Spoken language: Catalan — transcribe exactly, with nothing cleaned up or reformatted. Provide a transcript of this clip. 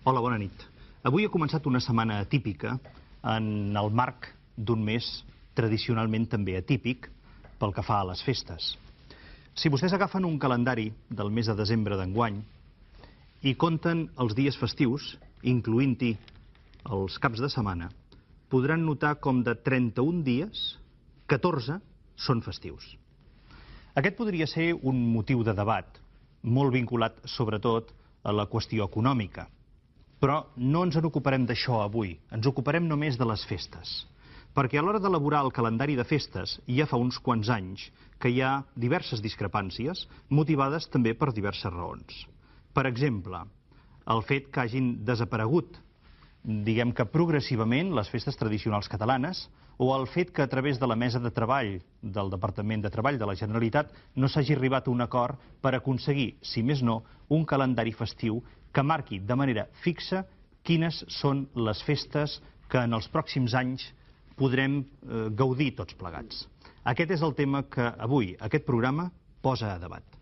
Hola, bona nit. Avui ha començat una setmana atípica en el marc d'un mes tradicionalment també atípic pel que fa a les festes. Si vostès agafen un calendari del mes de desembre d'enguany i compten els dies festius, incloent-hi els caps de setmana, podran notar com de trenta-un dies, catorze són festius. Aquest podria ser un motiu de debat, molt vinculat sobretot a la qüestió econòmica. Però no ens en ocuparem d'això avui, ens ocuparem només de les festes. Perquè a l'hora d'elaborar el calendari de festes ja fa uns quants anys que hi ha diverses discrepàncies motivades també per diverses raons. Per exemple, el fet que hagin desaparegut, diguem que progressivament, les festes tradicionals catalanes, o el fet que a través de la mesa de treball del Departament de Treball de la Generalitat no s'hagi arribat a un acord per aconseguir, si més no, un calendari festiu que marqui de manera fixa quines són les festes que en els pròxims anys podrem eh, gaudir tots plegats. Aquest és el tema que avui aquest programa posa a debat.